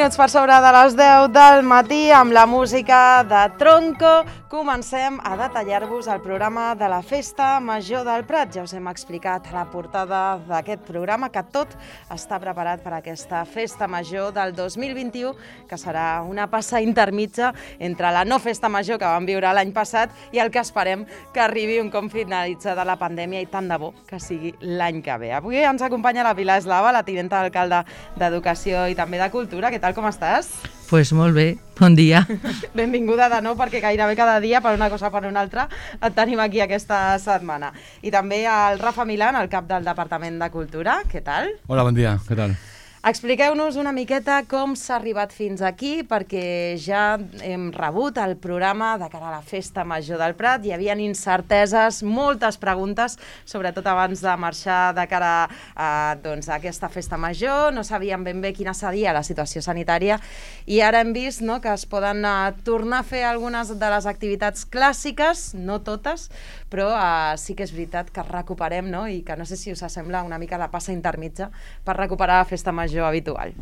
minuts per sobre de les 10 del matí, amb la música de Tronco, comencem a detallar-vos el programa de la Festa Major del Prat. Ja us hem explicat a la portada d'aquest programa que tot està preparat per a aquesta Festa Major del 2021, que serà una passa intermitja entre la no Festa Major que vam viure l'any passat i el que esperem que arribi un cop finalitzada la pandèmia, i tant de bo que sigui l'any que ve. Avui ens acompanya la Pilar Eslava, la tinenta d'alcalde d'Educació i també de Cultura. Què tal, com estàs? Pues molt bé, bon dia. Benvinguda de nou, perquè gairebé cada dia, per una cosa o per una altra, et tenim aquí aquesta setmana. I també el Rafa Milán, el cap del Departament de Cultura. Què tal? Hola, bon dia, què tal? Expliqueu-nos una miqueta com s'ha arribat fins aquí, perquè ja hem rebut el programa de cara a la Festa Major del Prat. Hi havia incerteses, moltes preguntes, sobretot abans de marxar de cara a aquesta Festa Major. No sabíem ben bé quina seria la situació sanitària i ara hem vist que es poden tornar a fer algunes de les activitats clàssiques, no totes, però sí que és veritat que recuperem, i que no sé si us sembla una mica la passa intermitja per recuperar la Festa Major habitual.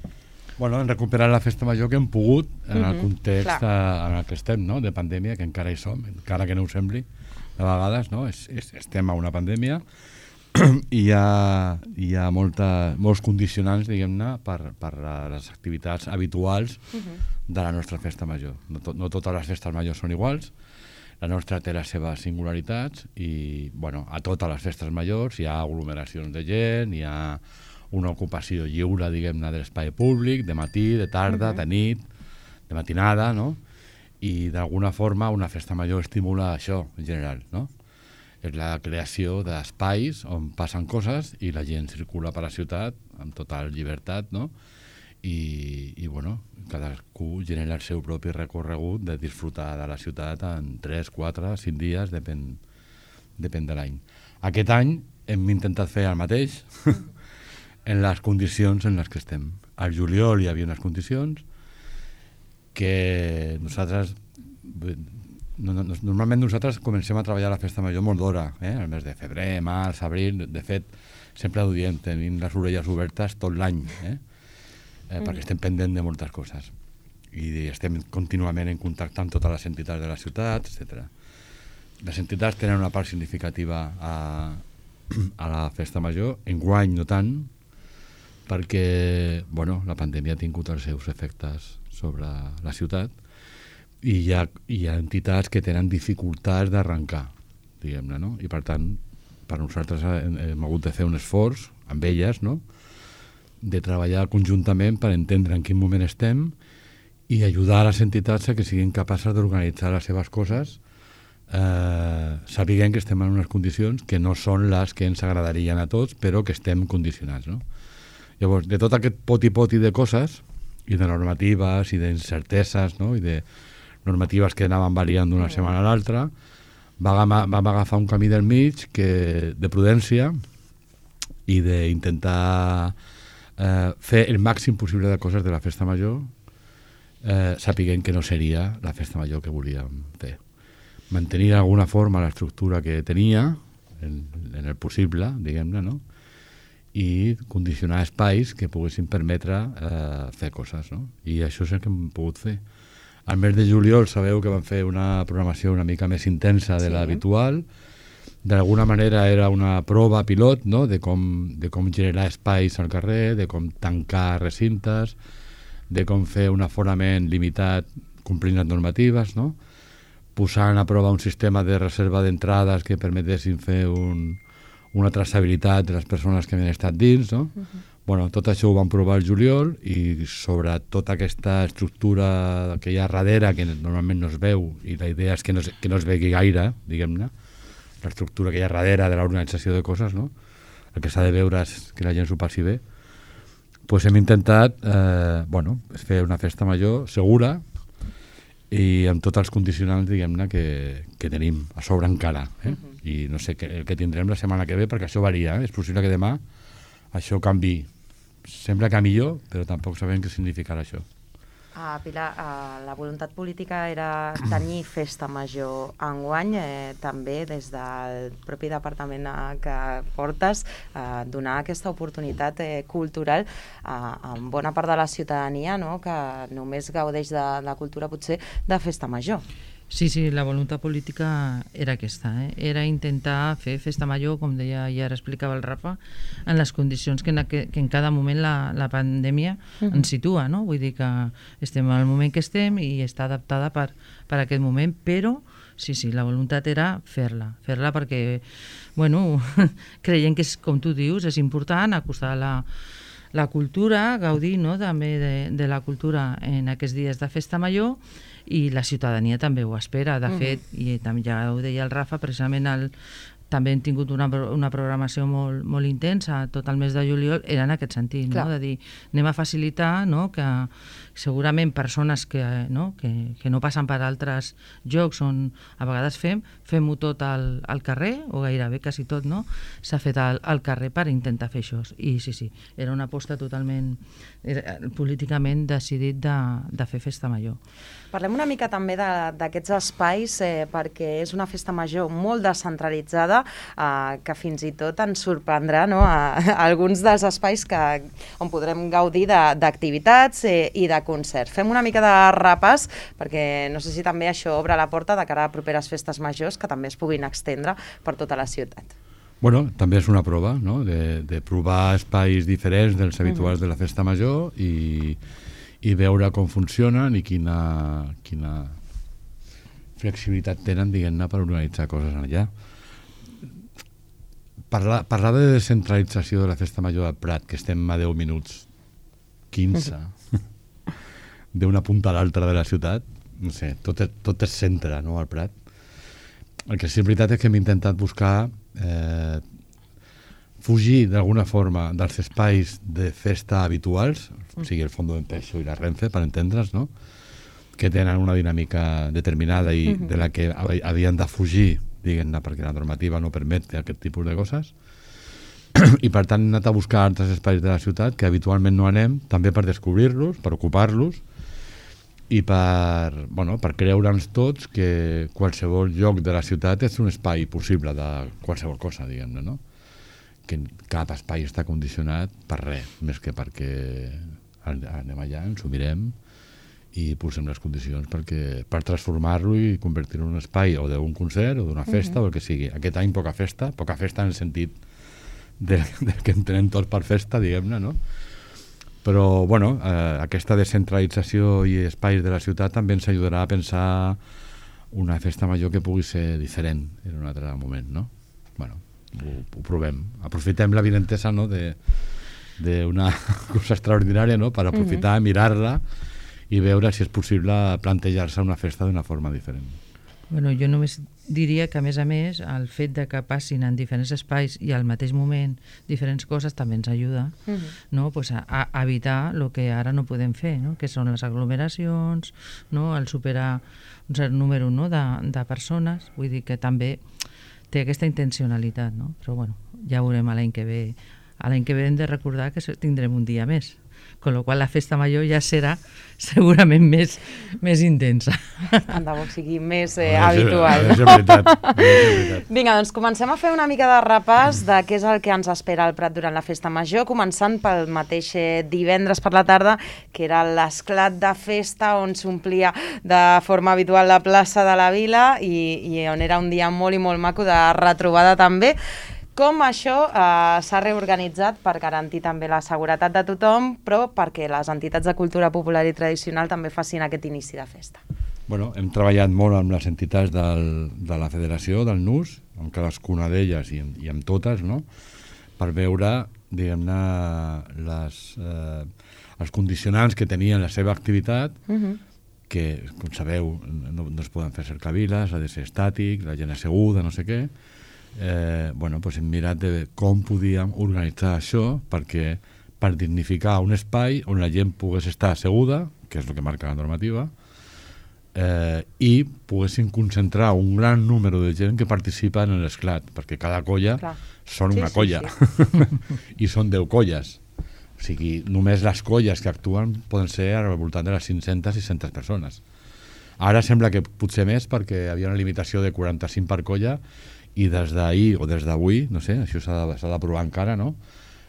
Bueno, hem recuperat la Festa Major que hem pogut en el context en el que estem, de pandèmia, que encara hi som, encara que no ho sembli, de vegades, estem a una pandèmia i hi ha molts condicionants, diguem-ne, per les activitats habituals de la nostra Festa Major. No totes les festes majors són iguals, la nostra té les seves singularitats i, a totes les festes majors hi ha aglomeracions de gent, hi ha una ocupació lliure, diguem-ne, de l'espai públic, de matí, de tarda, de nit, de matinada, I d'alguna forma una festa major estimula això, en general, És la creació d'espais on passen coses i la gent circula per la ciutat amb total llibertat, I cadascú genera el seu propi recorregut de disfrutar de la ciutat en 3, 4, 5 dies, depèn de l'any. Aquest any hem intentat fer el mateix, en les condicions en les que estem. Al juliol hi havia unes condicions que normalment nosaltres comencem a treballar la Festa Major molt d'hora, el mes de febrer, març, abril. De fet, sempre ho diem, tenim les orelles obertes tot l'any, perquè estem pendents de moltes coses i estem contínuament en contacte amb totes les entitats de la ciutat, etc. Les entitats tenen una part significativa a la Festa Major, enguany no tant, perquè la pandèmia ha tingut els seus efectes sobre la ciutat i hi ha entitats que tenen dificultats d'arrencar, diguem-ne, I per tant, per nosaltres hem hagut de fer un esforç amb elles, de treballar conjuntament per entendre en quin moment estem i ajudar a les entitats a que siguin capaces d'organitzar les seves coses sabent que estem en unes condicions que no són les que ens agradarien a tots, però que estem condicionats, Llavors, de tot aquest poti-poti de coses i de normatives i d'incerteses, i de normatives que anaven variant d'una setmana a l'altra, vam agafar un camí del mig de prudència i d'intentar fer el màxim possible de coses de la Festa Major, sapiguent que no seria la Festa Major que volíem fer. Mantenir d'alguna forma l'estructura que tenia, en el possible, diguem-ne, i condicionar espais que poguessin permetre fer coses, I això és el que hem pogut fer. Al mes de juliol sabeu que vam fer una programació una mica més intensa de l'habitual. D'alguna manera era una prova pilot, de com generar espais al carrer, de com tancar recintes, de com fer un aforament limitat complint les normatives, posant a prova un sistema de reserva d'entrades que permetessin fer una traçabilitat de les persones que havien estat dins, tot això ho vam provar al juliol i sobre tota aquesta estructura que hi ha darrere, que normalment no es veu, i la idea és que no es vegi gaire, diguem-ne, l'estructura que hi ha darrere de l'organització de coses, el que s'ha de veure és que la gent s'ho passi bé, doncs hem intentat fer una festa major segura i amb tots els condicionants, diguem-ne, que tenim a sobre encara. I no sé el que tindrem la setmana que ve, perquè això varia. És possible que demà això canvi. Sembla que millor, però tampoc sabem què significarà això. Pilar, la voluntat política era tenir festa major enguany, també des del propi departament que portes, donar aquesta oportunitat cultural a bona part de la ciutadania, no?, que només gaudeix de la cultura potser de festa major. Sí, la voluntat política era aquesta, era intentar fer festa major, com deia i ara explicava el Rafa, en les condicions que en cada moment la pandèmia ens situa, no? Vull dir que estem al moment que estem i està adaptada per aquest moment, però sí, la voluntat era fer-la perquè, bueno, creiem que, com tu dius, és important acostar la cultura, gaudir, no?, també de la cultura en aquests dies de festa major, i la ciutadania també ho espera. De fet, i també ja ho deia el Rafa, precisament també hem tingut una programació molt intensa tot el mes de juliol, era en aquest sentit, no? De dir, anem a facilitar, no?, que segurament persones que no passen per altres llocs on a vegades fem-ho tot al carrer, o gairebé quasi tot, no?, s'ha fet al carrer per intentar fer això. I sí, era una aposta totalment políticament decidit de fer festa major. Parlem una mica també d'aquests espais, perquè és una festa major molt descentralitzada, que fins i tot ens sorprendrà, no?, alguns dels espais on podrem gaudir d'activitats i de concerts. Fem una mica de repàs, perquè no sé si també això obre la porta de cara a properes festes majors que també es puguin extendre per tota la ciutat. Bueno, també és una prova, no?, de provar espais diferents dels habituals de la festa major i veure com funcionen i quina flexibilitat tenen, diguem-ne, per organitzar coses allà. Parlar de descentralització de la festa major del Prat, que estem a 10 minuts, 15, d'una punta a l'altra de la ciutat, no sé, tot es centra, no?, al Prat. El que sí és veritat és que hem intentat buscar fugir d'alguna forma dels espais de festa habituals, o sigui el Fondo d'Empeixo i la Renfe, per entendre's, no?, que tenen una dinàmica determinada i de la que havien de fugir, diguem-ne, perquè la normativa no permet aquest tipus de coses, i per tant hem anat a buscar altres espais de la ciutat que habitualment no anem, també per descobrir-los, per ocupar-los i per creure'ns tots que qualsevol lloc de la ciutat és un espai possible de qualsevol cosa, diguem-ne, no? Que cap espai està condicionat per res, més que perquè anem allà, ens ho mirem i posem les condicions per transformar-lo i convertir-lo en un espai o d'un concert o d'una festa o el que sigui. Aquest any poca festa en el sentit del que entenem tots per festa, diguem-ne, no? Però, bueno, aquesta descentralització i espais de la ciutat també ens ajudarà a pensar una festa major que pugui ser diferent en un altre moment, no? Bueno, ho provem. Aprofitem la vinentesa, no?, d'una cosa extraordinària, no?, per aprofitar, mirar-la i veure si és possible plantejar-se una festa d'una forma diferent. Bueno, jo només diria que, a més, el fet de que passin en diferents espais i al mateix moment diferents coses també ens ajuda, no?, pues a evitar el que ara no podem fer, no?, que són les aglomeracions, no?, el superar un cert número, no?, de persones. Vull dir que també té aquesta intencionalitat, no? Però bueno, ja veurem l'any que ve. L'any que ve hem de recordar que tindrem un dia més, con lo qual la festa major ja serà segurament més intensa. Tant de bo sigui més habitual. És veritat. Vinga, doncs comencem a fer una mica de repàs de què és el que ens espera al Prat durant la festa major, començant pel mateix divendres per la tarda, que era l'esclat de festa on s'omplia de forma habitual la plaça de la Vila i on era un dia molt i molt maco de retrobada també. Com això s'ha reorganitzat per garantir també la seguretat de tothom, però perquè les entitats de cultura popular i tradicional també facin aquest inici de festa? Bueno, hem treballat molt amb les entitats de la federació, del NUS, amb cadascuna d'elles i amb totes, no?, per veure, diguem-ne, els condicionants que tenien la seva activitat, que, com sabeu, no es poden fer cercaviles, ha de ser estàtic, la gent asseguda, no sé què. Pues hem mirat de com podíem organitzar això perquè per dignificar un espai on la gent pogués estar asseguda, que és el que marca la normativa, i poguessin concentrar un gran número de gent que participa en l'esclat, perquè cada colla són una colla. I són 10 colles. O sigui, només les colles que actuen poden ser al voltant de les 500-600 persones. Ara sembla que potser més perquè havia una limitació de 45 per colla i des d'ahir o des d'avui, no sé, això s'ha d'aprovar encara, no?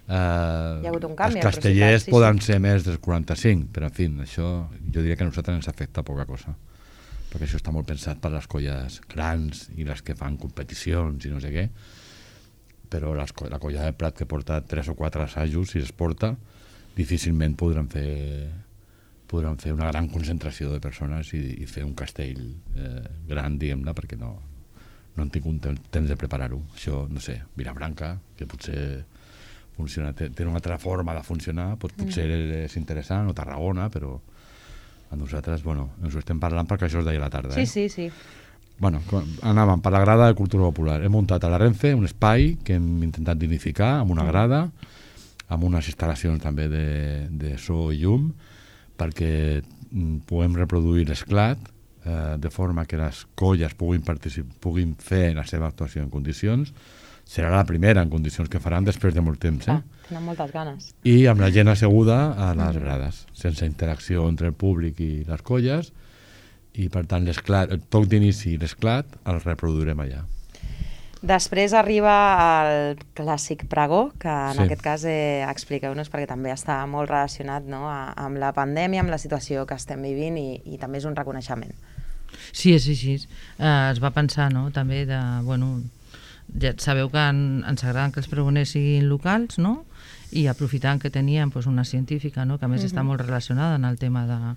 Hi ha hagut un canvi. Els castellers poden ser més dels 45, però en fi, això jo diria que a nosaltres ens afecta poca cosa, perquè això està molt pensat per les colles grans i les que fan competicions i no sé què, però la colla de Prat que porta 3 o 4 assajos, si es porta, difícilment podran fer una gran concentració de persones i fer un castell gran, diguem-ne, perquè no han tingut temps de preparar-ho. Això, no sé, Vilafranca, que potser funciona, té una altra forma de funcionar, doncs potser és interessant, o Tarragona, però a nosaltres, ens ho estem parlant perquè això es deia a la tarda. Sí. Bueno, anàvem per la grada de Cultura Popular. Hem muntat a la Renfe un espai que hem intentat dignificar amb una grada, amb unes instal·lacions també de so i llum, perquè puguem reproduir l'esclat de forma que les colles puguin fer la seva actuació en condicions. Serà la primera en condicions que faran després de molt temps. Tenen moltes ganes. I amb la gent asseguda a les grades, sense interacció entre el públic i les colles, i per tant l'esclat, el toc d'inici i l'esclat el reproduirem allà. Després arriba el clàssic pregó, que en aquest cas expliqueu-nos, perquè també està molt relacionat, no?, amb la pandèmia, amb la situació que estem vivint i també és un reconeixement. Sí, és així. Es va pensar, no?, també de... ja sabeu que ens agraden que els pregoners siguin locals, no?, i aprofitant que teníem una científica, no?, que a més està molt relacionada en el tema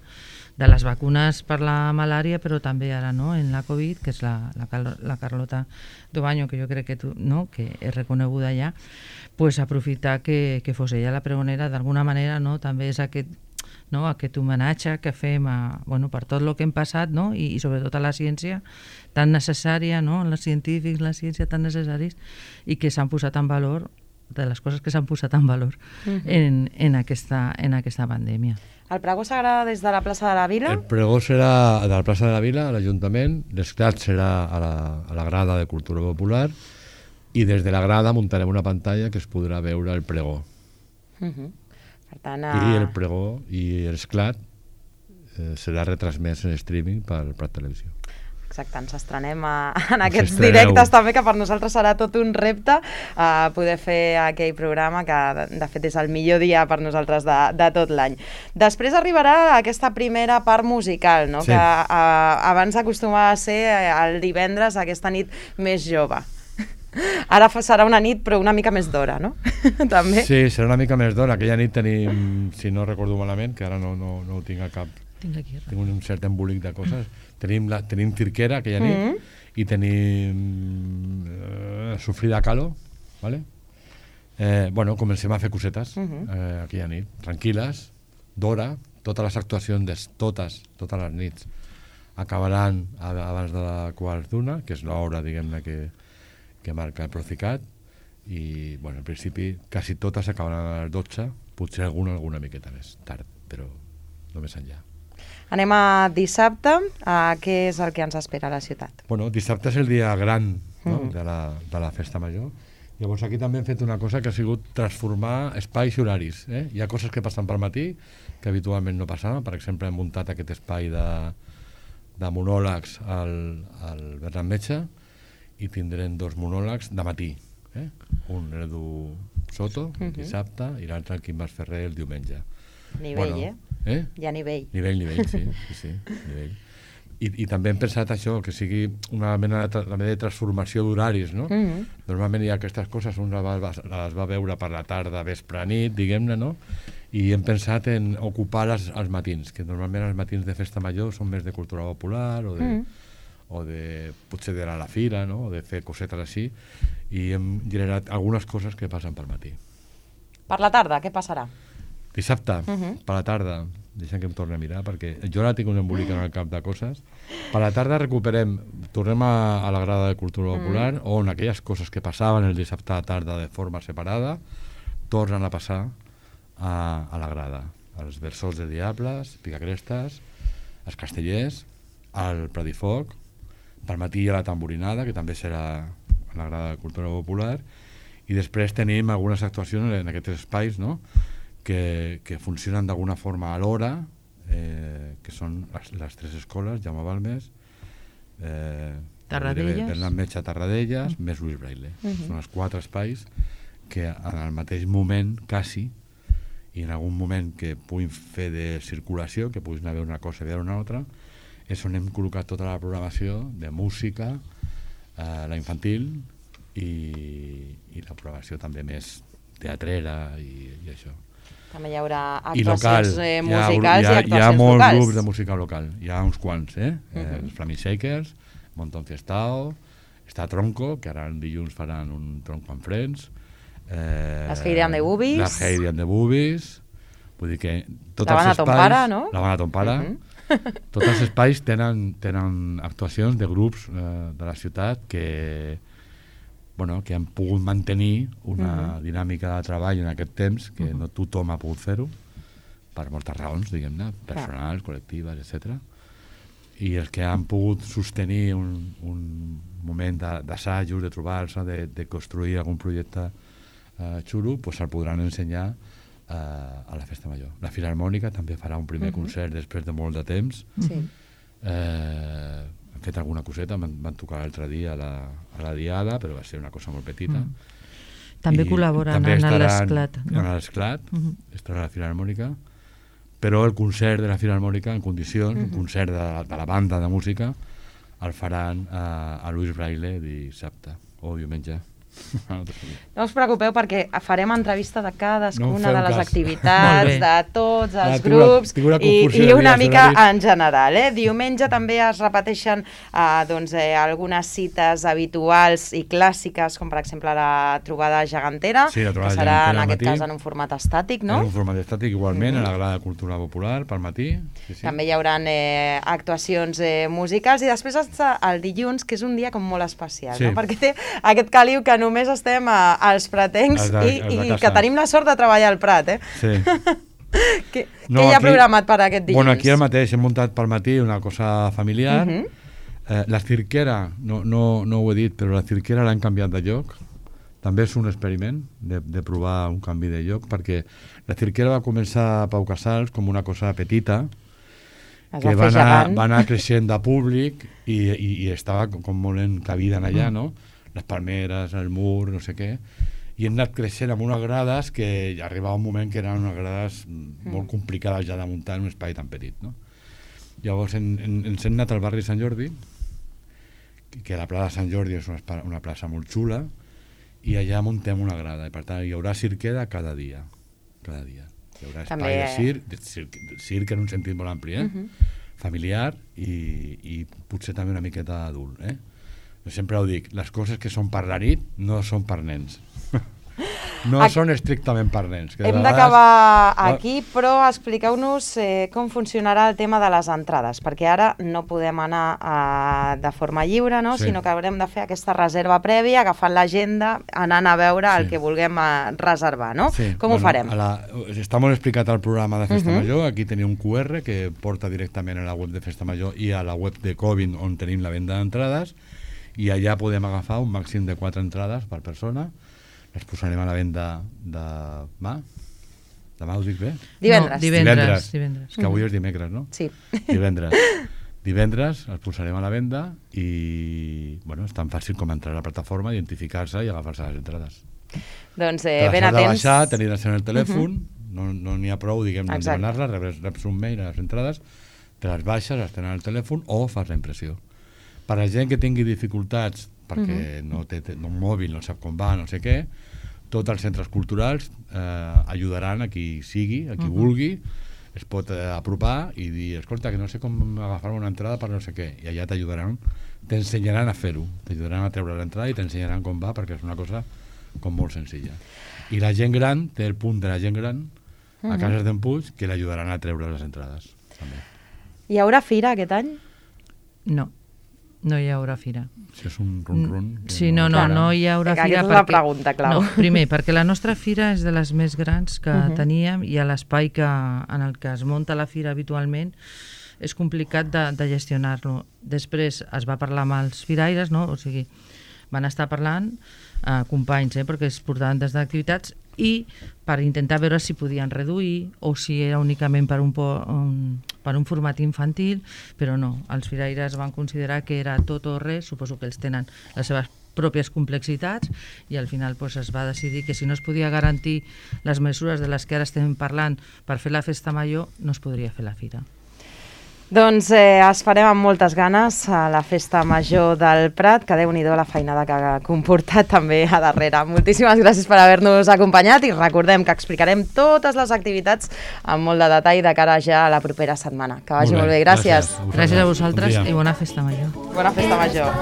de les vacunes per la malària, però també ara, no?, en la Covid, que és la Carlota Dobaño, que jo crec que que és reconeguda ja, aprofitar que fos ella la pregonera, d'alguna manera, no?, també és aquest homenatge que fem per tot el que hem passat, no?, i sobretot a la ciència tan necessària, no?, els científics, la ciència tan necessaris, i que s'han posat en valor, de les coses que s'han posat en valor en aquesta pandèmia. El pregó serà des de la plaça de la Vila? El pregó serà de la plaça de la Vila, a l'Ajuntament, l'esclat serà a la grada de Cultura Popular, i des de la grada muntarem una pantalla que es podrà veure el pregó. Per tant, I el pregó i l'esclat serà retransmès en streaming per Prat Televisió. Exacte, ens estrenem en aquests directes també, que per nosaltres serà tot un repte poder fer aquell programa que de fet és el millor dia per nosaltres de tot l'any. Després arribarà aquesta primera part musical, no? Que abans acostumava a ser el divendres, aquesta nit més jove. Ara serà una nit però una mica més d'hora, no? També. Sí, serà una mica més d'hora. Aquella nit tenim, si no recordo malament, que ara no ho tinc a cap, tinc un cert embolic de coses, tenim cirquera aquella nit i tenim sofrida calo, ¿vale? Comencem a fer cosetes aquella nit, tranquil·les, d'hora, totes les actuacions totes les nits acabaran abans de la quart d'una, que és l'hora, diguem-ne, que marca el Procicat, i en principi quasi totes acabaran a les 12, potser alguna miqueta més tard, però no més enllà. Anem a dissabte. Què és el que ens espera a la ciutat? Dissabte és el dia gran, no? de la festa major. Llavors aquí també hem fet una cosa que ha sigut transformar espais i horaris. Hi ha coses que passen pel matí que habitualment no passaven. Per exemple, hem muntat aquest espai de monòlegs al Bernat Metge i tindrem 2 monòlegs de matí. Un l'Edu Soto, dissabte, i l'altre el Quim Masferrer el diumenge. Nivell, Hi ha nivell. Nivell, sí, nivell. I també hem pensat això, que sigui una mena de transformació d'horaris, no? Normalment hi ha aquestes coses, un les va veure per la tarda, vespre, nit, diguem-ne, no? I hem pensat en ocupar els matins, que normalment els matins de festa major són més de cultura popular o potser d'anar a la fira, no? O de fer cosetes així, i hem generat algunes coses que passen per matí. Per la tarda, què passarà? Dissabte, per la tarda, deixa'm que em torni a mirar, perquè jo ara tinc un embolic en el cap de coses. Per la tarda tornem a la grada de Cultura Popular, on aquelles coses que passaven el dissabte a la tarda de forma separada, tornen a passar a la grada. Els versos de Diables, Picacrestes, els Castellers, el Pradifoc, per matí hi ha la tamborinada, que també serà a la grada de Cultura Popular, i després tenim algunes actuacions en aquests espais, no?, que funcionen d'alguna forma alhora, que són les 3 escoles, Jaume Balmes, Tarradellas, Bernat Metge a Tarradellas, més Luis Braille. Són els 4 espais que en el mateix moment, quasi, i en algun moment que puguin fer de circulació, que puguin haver una cosa i veure una altra, és on hem col·locat tota la programació de música, la infantil i la programació també més teatrera i això. També hi haurà I actuacions local, musicals i actuacions hi ha molts locals. grups de música local, hi ha uns quants, els Flaming Shakers, Montón Fiestao, està Tronco, que ara el dilluns faran un Tronco amb Friends, les Heidi and the Boobies. Les Heidi and the Boobies, vull dir que tots La els Banda espais... Ton Pare, no? La Banda Ton Pare. Tots els espais tenen actuacions de grups de la ciutat que han pogut mantenir una dinàmica de treball en aquest temps que no tothom ha pogut fer-ho per moltes raons, diguem-ne, personals, col·lectives, etc. I els que han pogut sostenir un moment d'assajos, de trobar-se, de construir algun projecte xulo, doncs se'l podran ensenyar a la Festa Major. La Filharmònica també farà un primer concert després de molt de temps. Han fet alguna coseta, van tocar l'altre dia a la Diada, però va ser una cosa molt petita. També col·laboren en l'Esclat. En l'Esclat, estarà la Filharmònica, però el concert de la Filharmònica en condicions, un concert de la banda de música, el faran a Luis Braille dissabte o diumenge. No us preocupeu perquè farem entrevista de cadascuna de les activitats, de tots els grups i una mica en general. Diumenge també es repeteixen algunes cites habituals i clàssiques, com per exemple la trobada gegantera, que serà en aquest cas en un format estàtic, no? En un format estàtic igualment, a la Grada de Cultura Popular, pel matí. També hi haurà actuacions musicals i després el dilluns, que és un dia com molt especial, perquè té aquest caliu que només estem als pratencs i que tenim la sort de treballar al Prat, Sí. Què hi ha programat per aquest dilluns? Bueno, aquí al mateix hem muntat pel matí una cosa familiar. La cirquera, no ho he dit, però la cirquera l'han canviat de lloc. També és un experiment de provar un canvi de lloc, perquè la cirquera va començar a Pau Casals com una cosa petita, que va anar creixent de públic i estava com molt encabida allà, no? Les palmeres, el mur, no sé què, i hem anat creixent amb unes grades que arribava un moment que eren unes grades molt complicades ja de muntar en un espai tan petit, no? Llavors ens hem anat al barri Sant Jordi, que la plaça Sant Jordi és una plaça molt xula, i allà muntem una grada, i per tant hi haurà cirquera cada dia. Hi haurà espai de circ en un sentit molt ampli, familiar i potser també una miqueta adult, Jo sempre ho dic, les coses que són per la nit no són per nens. No són estrictament per nens. Hem d'acabar aquí, però expliqueu-nos com funcionarà el tema de les entrades, perquè ara no podem anar de forma lliure, no? Sinó que haurem de fer aquesta reserva prèvia, agafant l'agenda, anant a veure el que vulguem reservar, no? Com ho farem? Està molt explicat al programa de Festa Major, aquí teniu un QR que porta directament a la web de Festa Major i a la web de Covin, on tenim la venda d'entrades, i allà podem agafar un màxim de 4 entrades per persona. Les posarem a la venda demà. Demà ho dic bé? Divendres. És que avui és dimecres, no? Sí. Divendres les posarem a la venda i és tan fàcil com entrar a la plataforma, identificar-se i agafar-se les entrades. Doncs ben atents. De baixar, tenir-les en el telèfon, no n'hi ha prou, diguem, de demanar-les, reps un mail a les entrades, te les baixes, les tenen al telèfon o fas la impressió. Per a gent que tingui dificultats perquè no té un mòbil, no sap com va, no sé què, tots els centres culturals ajudaran a qui sigui, a qui vulgui, es pot apropar i dir, escolta, que no sé com agafar una entrada per no sé què, i allà t'ajudaran, t'ensenyaran a fer-ho, t'ajudaran a treure l'entrada i t'ensenyaran com va, perquè és una cosa com molt senzilla. I la gent gran, té el punt de la gent gran, a Cases d'en Puig, que l'ajudaran a treure les entrades. També. Hi haurà fira aquest any? No hi haurà fira. Si és un run-run... Sí, no hi haurà fira. Aquesta és la pregunta clau. Primer, perquè la nostra fira és de les més grans que teníem i a l'espai en el que es munta la fira habitualment és complicat de gestionar-lo. Després es va parlar amb els firaires, no? O sigui, van estar parlant companys, perquè es portaven des d'activitats i per intentar veure si podien reduir o si era únicament per un format infantil, però no, els firaires van considerar que era tot o res, suposo que ells tenen les seves pròpies complexitats i al final es va decidir que si no es podia garantir les mesures de les que ara estem parlant per fer la festa major, no es podria fer la fira. Doncs esperem amb moltes ganes a la festa major del Prat, que Déu-n'hi-do la feinada que ha comportat també a darrere. Moltíssimes gràcies per haver-nos acompanyat i recordem que explicarem totes les activitats amb molt de detall de cara ja a la propera setmana. Que vagi molt bé, gràcies. Gràcies a vosaltres i bona festa major. Bona festa major.